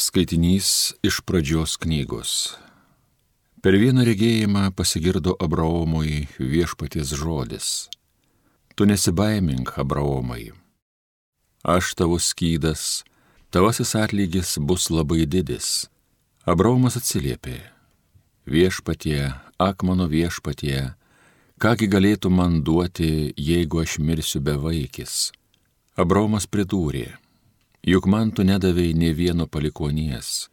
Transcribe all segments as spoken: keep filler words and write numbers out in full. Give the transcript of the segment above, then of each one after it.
Skaitinys iš pradžios knygos. Per vieną regėjimą pasigirdo Abraomui viešpaties žodis. Tu nesibaimink, Abraomai. Aš tavo skydas, tavasis atlygis bus labai didis. Abraomas atsiliepė. Viešpatie, ak mano viešpatie, kągi galėtų man duoti, jeigu aš mirsiu bevaikis? Abraomas pridūrė. Juk man tu nedavei nė vieno palikonies,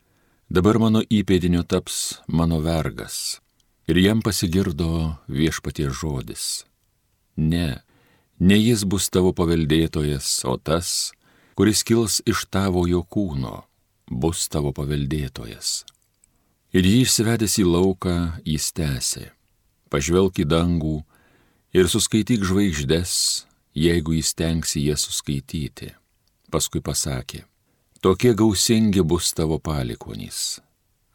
dabar mano įpėdiniu taps mano vergas. Ir jam pasigirdo viešpaties žodis. Ne, ne jis bus tavo paveldėtojas, o tas, kuris kils iš tavojo kūno, bus tavo paveldėtojas. Ir jį išsivedęs į lauką, jis tęsė. Pažvelk į dangų ir suskaityk žvaigždes, jeigu jis tenksi jas suskaityti. Paskui pasakė, tokie gausingi bus tavo palikonys.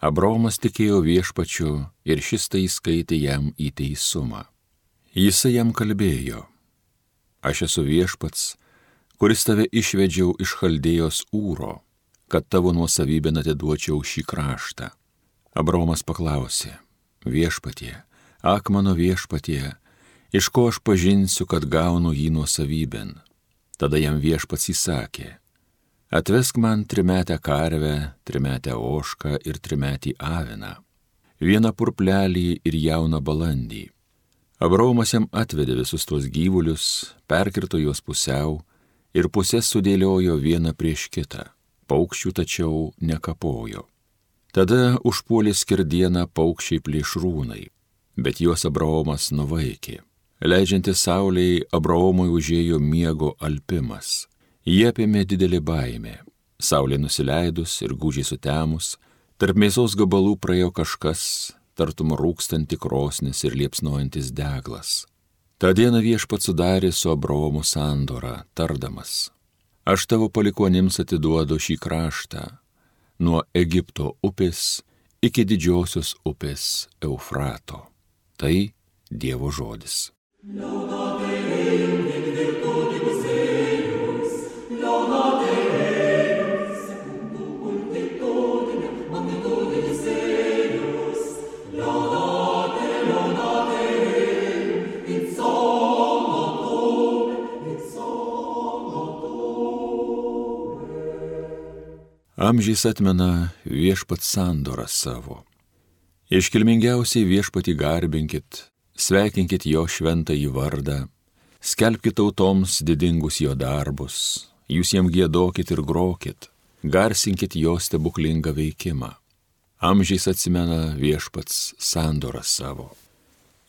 Abraomas tikėjo viešpačiu ir šis tai įskaitė jam į teisumą. Jisai jam kalbėjo, aš esu viešpats, kuris tave išvedžiau iš Chaldėjos Ūro, kad tavo nuosavybėn atiduočiau šį kraštą. Abraomas paklausė, viešpatie, ak mano viešpatie, iš ko aš pažinsiu, kad gaunu jį nuosavybėn? Tada jam viešpats įsakė, atvesk man trimetę karvę, trimetę ožką ir trimetį aviną, vieną purplelį ir jauną balandį. Abraomas jam atvedė visus tuos gyvulius, perkirto juos pusiau ir pusės sudėliojo vieną prieš kitą, paukščių tačiau nekapojo. Tada užpuolė skerdieną paukščiai plėšrūnai, bet juos Abraomas nuvaikė. Leidžiantis saulei, Abraomui užėjo miego alpimas. Jie apėmė didelį baimę. Saulė nusileidus ir gūdžiai sutemus, tarp mėsos gabalų praėjo kažkas, tartum rūkstanti krosnis ir liepsnojantis deglas. Ta diena viešpats sudarė su Abraomu sandorą, tardamas, aš tavo palikonims atiduodu šį kraštą, nuo Egipto upės iki didžiosios upės Eufrato. Tai Dievo žodis. Laudate Deum in virtutibus eius, laudate Deum secundum multitudinem magnitudinis eius, laudate, laudate Deum in somno tuum, in somno tuum. Amžiais atmena viešpats sandorą savo. Iškilmingiausiai viešpatį garbinkit, sveikinkit jo šventąjį vardą, skelbkit tautoms didingus jo darbus, jūs jam giedokit ir grokit, garsinkit jo stebuklingą veikimą. Amžiais atsimena viešpats sandorą savo.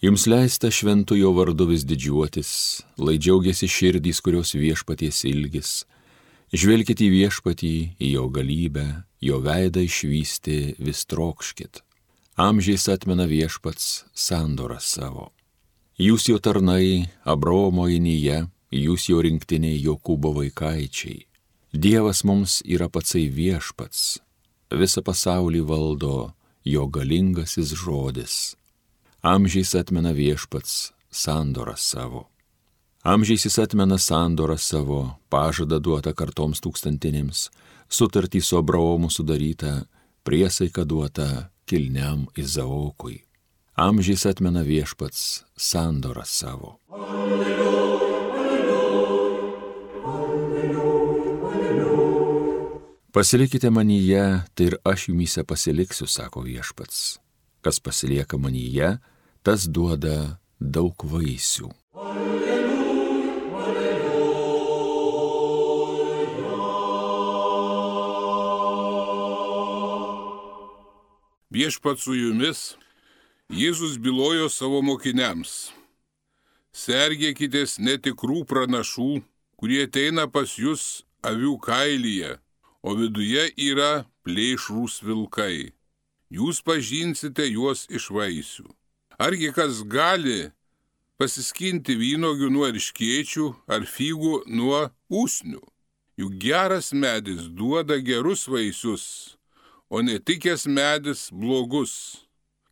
Jums leista šventu jo vardu vis didžiuotis, lai džiaugiasi širdys, kurios viešpaties ilgis. Žvelkit į viešpatį, į jo galybę, jo veidą išvysti vis trokškit. Amžiais atmena viešpats sandorą savo. Jūs jo tarnai, Abraomo inyje, jūs jo rinktiniai Jokūbo vaikaičiai. Dievas mums yra patsai viešpats, visą pasaulį valdo jo galingasis žodis. Amžiais atmena viešpats sandorą savo. Amžiais jis atmena sandorą savo, pažadą duotą kartoms tūkstantinėms, sutartį su Abraomu sudarytą, priesaiką duotą kilniam Izaokui. Amžiais atmena viešpats sandorą savo. Alleluja, alleluja, alleluja, alleluja. Pasilikite manyje, tai ir aš jumyse pasiliksiu, sako viešpats. Kas pasilieka manyje, tas duoda daug vaisių. Alleluja, alleluja. Viešpats su jumis, Jėzus bylojo savo mokiniams. Sergėkitės netikrų pranašų, kurie ateina pas jūs avių kailyje, o viduje yra plėšrūs vilkai. Jūs pažinsite juos iš vaisių. Argi kas gali pasiskinti vynuogių nuo erškėčių ar figų nuo usnių? Juk geras medis duoda gerus vaisius, o netikęs medis blogus.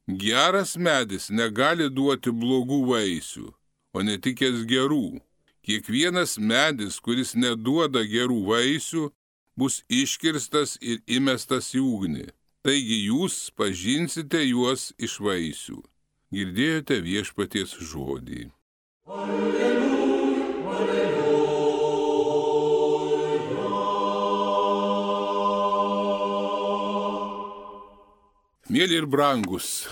Geras medis negali duoti blogų vaisių, o netikęs gerų. Kiekvienas medis, kuris neduoda gerų vaisių, bus iškirstas ir įmestas į ugnį. Taigi jūs pažinsite juos iš vaisių. Girdėjote viešpaties žodį. Alleluja, alleluja. Mėly ir brangus,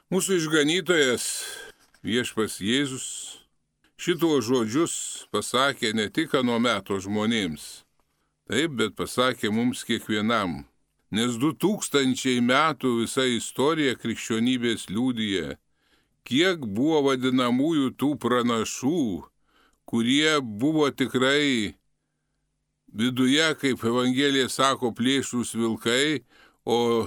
mūsų išganytojas viešpas Jėzus šituo žodžius pasakė ne tik ano meto žmonėms, taip, bet pasakė mums kiekvienam, nes du tūkstančiai metų visa istorija krikščionybės liudija, kiek buvo vadinamųjų tų pranašų, kurie buvo tikrai viduje, kaip Evangelija sako, plėšrūs vilkai, o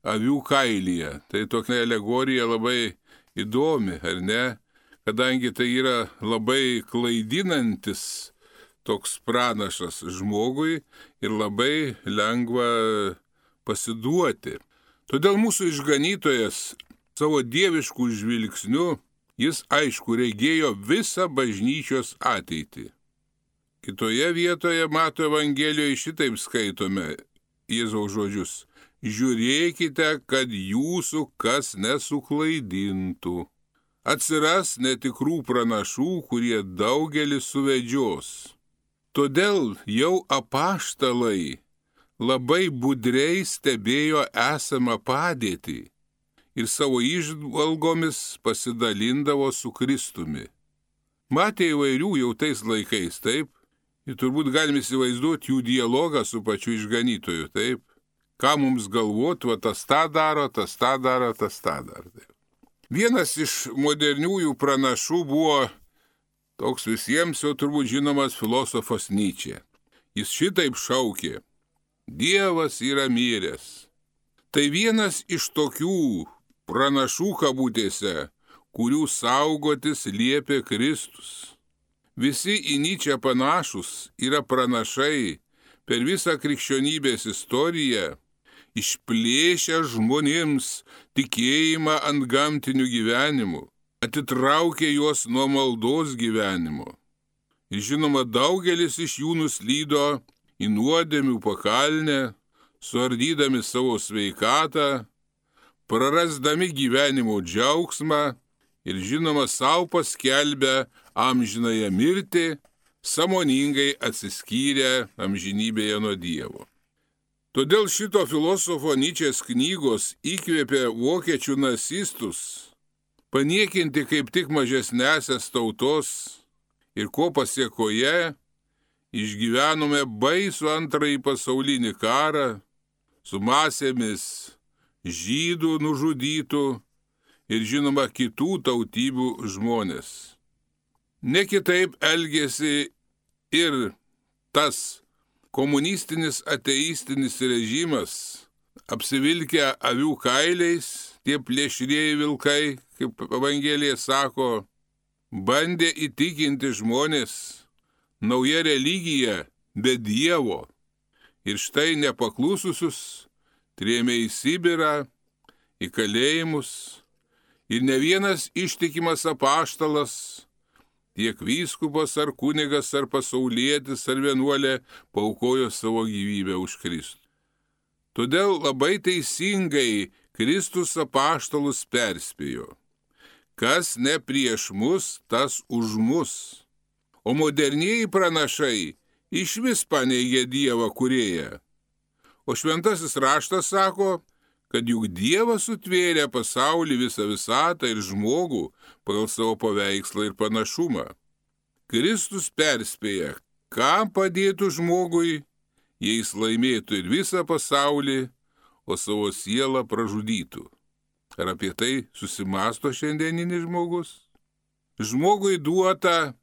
avių kailyje. Tai tokia alegorija labai įdomi, ar ne? Kadangi tai yra labai klaidinantis toks pranašas žmogui ir labai lengva pasiduoti. Todėl mūsų išganytojas savo dieviškų žvilgsnių, jis aišku regėjo visą bažnyčios ateitį. Kitoje vietoje Mato Evangelijoje šitaip skaitome Jėzaus žodžius. Žiūrėkite, kad jūsų kas nesuklaidintų. Atsiras netikrų pranašų, kurie daugelį suvedžios. Todėl jau apaštalai labai budriai stebėjo esamą padėtį ir savo įžvalgomis pasidalindavo su Kristumi. Matė įvairių jau tais laikais, taip? Ir turbūt galime įsivaizduoti jų dialogą su pačiu išganytoju, taip? Ką mums galvot, va tas tą daro, tas tą daro, tas tą daro. Vienas iš moderniųjų pranašų buvo toks visiems jau turbūt žinomas filosofas Nyčė. Jis šitaip šaukė: Dievas yra miręs. Tai vienas iš tokių pranašų kabutėse, kurių saugotis liepė Kristus. Visi į Nyčę panašus yra pranašai per visą krikščionybės istoriją, išplėšę žmonėms tikėjimą ant gamtinių gyvenimų, atitraukė juos nuo maldos gyvenimo. Ir žinoma, daugelis iš jų nuslydo į nuodėmių pakalnę, suardydami savo sveikatą, prarasdami gyvenimo džiaugsmą ir žinoma, savo paskelbę amžinąją mirtį, sąmoningai atsiskyrę amžinybėje nuo Dievo. Todėl šito filosofo Nyčės knygos įkvėpė vokiečių nacistus paniekinti kaip tik mažesnesias tautos ir ko pasiekoje išgyvenome baisų antrąjį pasaulinį karą su masėmis žydų nužudytų ir žinoma kitų tautybių žmonės. Ne kitaip elgėsi ir tas komunistinis ateistinis režimas, apsivilkę avių kailiais, tie plėšrieji vilkai, kaip Evangelija sako, bandė įtikinti žmonės nauja religija be Dievo. Ir štai nepaklususius trėmė į Sibirą, į kalėjimus, ir ne vienas ištikimas apaštalas, tiek vyskupas ar kunigas ar pasaulietis ar vienuolė paaukojo savo gyvybę už Kristų. Todėl labai teisingai Kristus apaštalus perspėjo: kas ne prieš mus, tas už mus. O modernieji pranašai išvis paneigė Dievą kūrėją. O šventasis raštas sako, kad juk Dievas sutvėrė pasaulį, visą visatą ir žmogų pagal savo paveikslą ir panašumą. Kristus perspėja, kam padėtų žmogui, jei jis laimėtų ir visą pasaulį, o savo sielą pražudytų. Ar apie tai susimąsto šiandieninis žmogus? Žmogui duota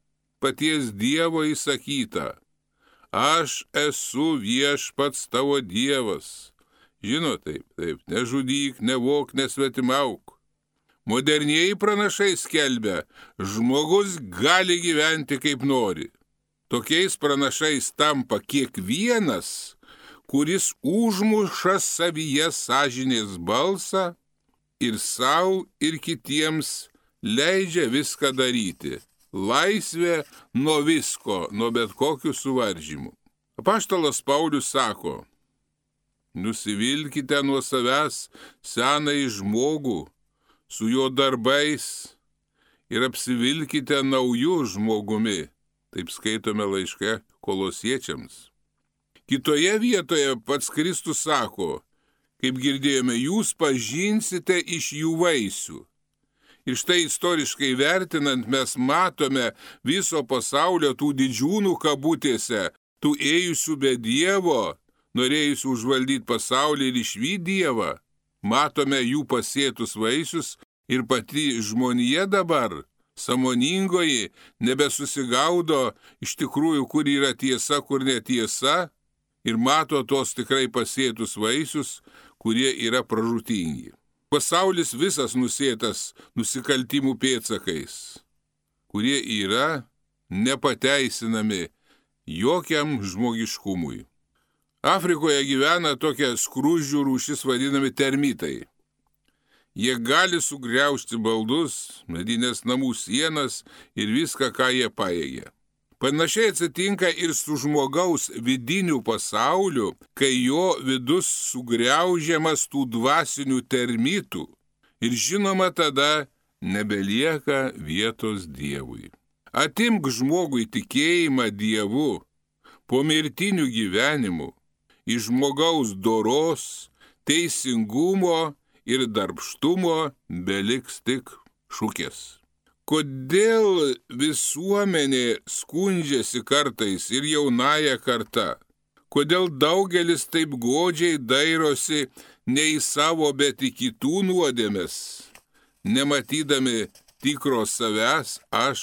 paties Dievo įsakyta: aš esu viešpats tavo Dievas. Žino taip, taip, nežudyk, nevok, nesvetimauk. Modernieji pranašai skelbia, žmogus gali gyventi kaip nori. Tokiais pranašais tampa kiekvienas, kuris užmuša savyje sąžinės balsą ir savo ir kitiems leidžia viską daryti. Laisvė nuo visko, nuo bet kokių suvaržymų. Apaštalas Paulius sako, nusivilkite nuo savęs senąjį žmogų su jo darbais ir apsivilkite naujų žmogumi. Taip skaitome laiške Kolosiečiams. Kitoje vietoje pats Kristus sako, kaip girdėjome, jūs pažinsite iš jų vaisių. Ir štai istoriškai vertinant mes matome viso pasaulio tų didžiūnų kabutėse, tų ėjusių be Dievo, norėjusių užvaldyti pasaulį ir išvyti Dievą. Matome jų pasėtus vaisius ir pati žmonija dabar, sąmoningoji, nebesusigaudo iš tikrųjų, kur yra tiesa, kur netiesa, ir mato tos tikrai pasėtus vaisius, kurie yra pražūtingi. Pasaulis visas nusėtas nusikaltimų pėdsakais, kurie yra nepateisinami jokiam žmogiškumui. Afrikoje gyvena tokia skruzdžių rūšis vadinami termitai. Jie gali sugriaužti baldus, medinės namų sienas ir viską, ką jie pajėgia. Panašiai atsitinka ir su žmogaus vidiniu pasauliu, kai jo vidus sugriaužiamas tų dvasinių termitų ir žinoma tada nebelieka vietos Dievui. Atimk žmogui tikėjimą Dievu, pomirtiniu gyvenimu, iš žmogaus doros, teisingumo ir darbštumo beliks tik šukės. Kodėl visuomenė skundžiasi kartais ir jaunąją kartą? Kodėl daugelis taip godžiai dairosi ne į savo, bet į kitų nuodėmes, nematydami tikro savęs aš?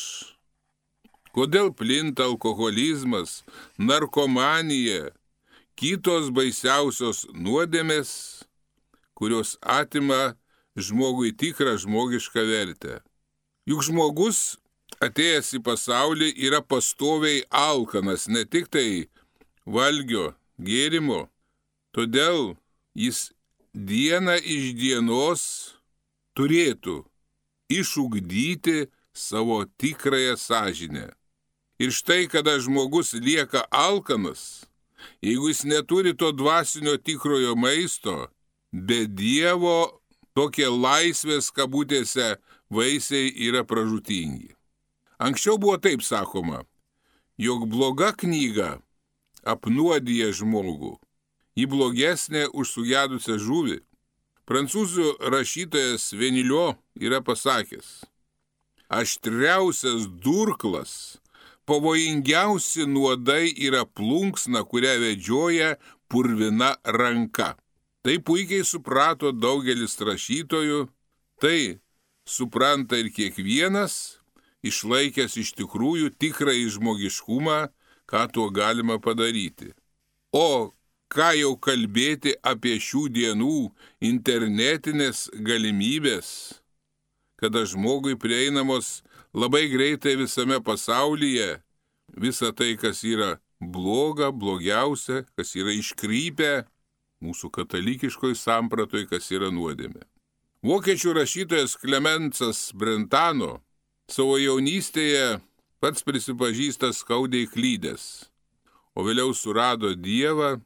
Kodėl plinta alkoholizmas, narkomanija, kitos baisiausios nuodėmės, kurios atima žmogui tikrą žmogišką vertę? Juk žmogus, atėjęs į pasaulį, yra pastoviai alkanas, ne tik tai valgio, gėrimo. Todėl jis dieną iš dienos turėtų išugdyti savo tikrąją sąžinę. Ir štai, kada žmogus lieka alkanas, jeigu jis neturi to dvasinio tikrojo maisto, be Dievo tokie laisvės kabutėse vaisiai yra pražūtingi. Anksčiau buvo taip sakoma, jog bloga knyga apnuodija žmogų, ji blogesnė už sugedusią žuvį. Prancūzų rašytojas Venilio yra pasakęs, aštriausias durklas, pavojingiausi nuodai yra plunksna, kurią vedžioja purvina ranka. Tai puikiai suprato daugelis rašytojų, tai supranta ir kiekvienas, išlaikęs iš tikrųjų tikrąjį žmogiškumą, ką tuo galima padaryti. O ką jau kalbėti apie šių dienų internetinės galimybės, kada žmogui prieinamos labai greitai visame pasaulyje, visa tai, kas yra bloga, blogiausia, kas yra iškrypę, mūsų katalikiškoj sampratoj, kas yra nuodėmė. Vokiečių rašytojas Klemensas Brentano savo jaunystėje pats prisipažįsta skaudžiai klydęs, o vėliau surado Dievą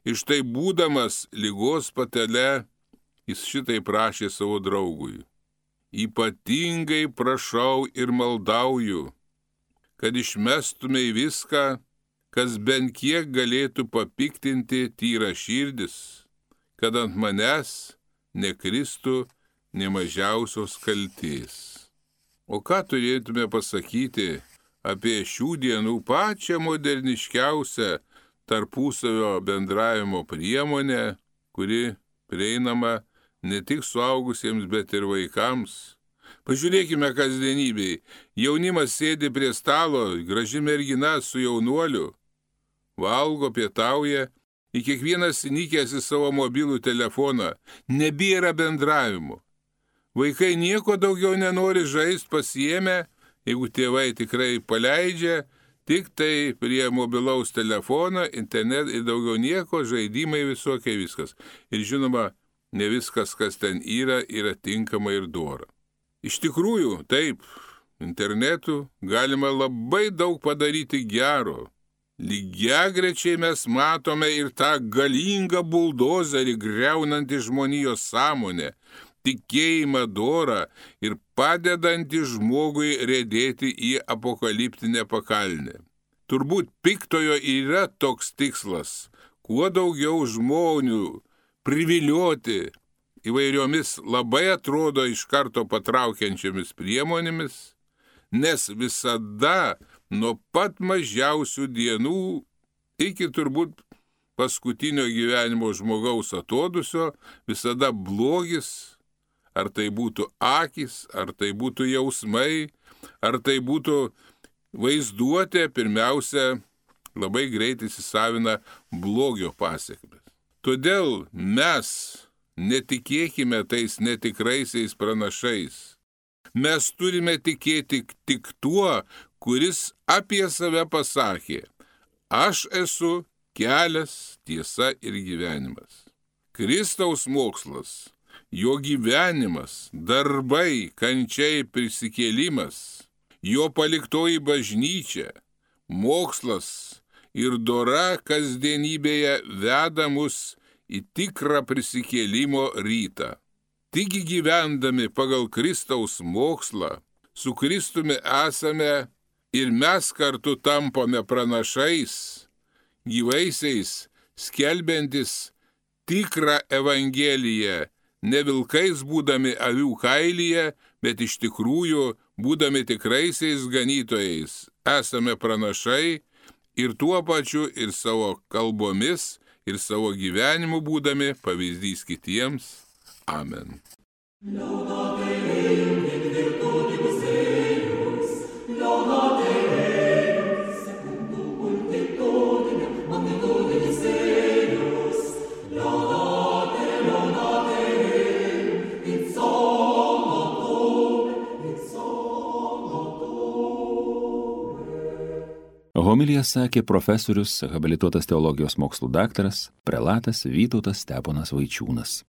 ir štai būdamas ligos patale, jis šitai prašė savo draugui. Ypatingai prašau ir maldauju, kad išmestumei viską, kas bent kiek galėtų papiktinti tyrą širdis, kad ant manęs nekristų nė mažiausios kaltės. O ką turėtume pasakyti apie šių dienų pačią moderniškiausią tarpusavio bendravimo priemonę, kuri prieinama ne tik suaugusiems, bet ir vaikams? Pažiūrėkime kasdienybėj. Jaunimas sėdi prie stalo, graži mergina su jaunuoliu, valgo, pietauja, į kiekvienas įnikęs į savo mobilų telefoną, nebėra bendravimo. Vaikai nieko daugiau nenori žaisti, pasiėmę, jeigu tėvai tikrai paleidžia, tik tai prie mobilaus telefono, internet ir daugiau nieko, žaidimai visokie, viskas. Ir žinoma, ne viskas, kas ten yra, yra tinkama ir dora. Iš tikrųjų, taip, internetu galima labai daug padaryti gero, lygiagrečiai mes matome ir tą galingą buldozerį greunantį žmonijos sąmonę, tikėjimą dorą ir padedantį žmogui riedėti į apokaliptinę pakalnę. Turbūt piktojo yra toks tikslas, kuo daugiau žmonių privilioti įvairiomis labai atrodo iš karto patraukiančiomis priemonėmis, nes visada nuo pat mažiausių dienų iki turbūt paskutinio gyvenimo žmogaus atodusio visada blogis, ar tai būtų akys, ar tai būtų jausmai, ar tai būtų vaizduotė, pirmiausia, labai greitai įsisavina blogio pasiekmes. Todėl mes netikėkime tais netikraisiais pranašais. Mes turime tikėti tik tuo, kuris apie save pasakė: aš esu kelias, tiesa ir gyvenimas. Kristaus mokslas, jo gyvenimas, darbai, kančiai, prisikėlimas, jo paliktoji bažnyčia, mokslas ir dora kasdienybėje veda mus į tikrą prisikėlimo rytą. Tik gyvendami pagal Kristaus mokslą, su Kristumi esame ir mes kartu tampame pranašais, gyvaisiais, skelbiantis tikrą evangeliją, ne vilkais būdami avių kailyje, bet iš tikrųjų būdami tikraisiais ganytojais. Esame pranašai ir tuo pačiu ir savo kalbomis, ir savo gyvenimu būdami pavyzdys kitiems. Amen. Laudate Deum in virtutibus eius, laudate Deum secundum multitudinem magnitudinis eius, laudate, laudate Deum in somnotum, in somnotum. Homiliją sakė profesorius, habilituotas teologijos mokslų daktaras, prelatas Vytautas Steponas Vaičiūnas.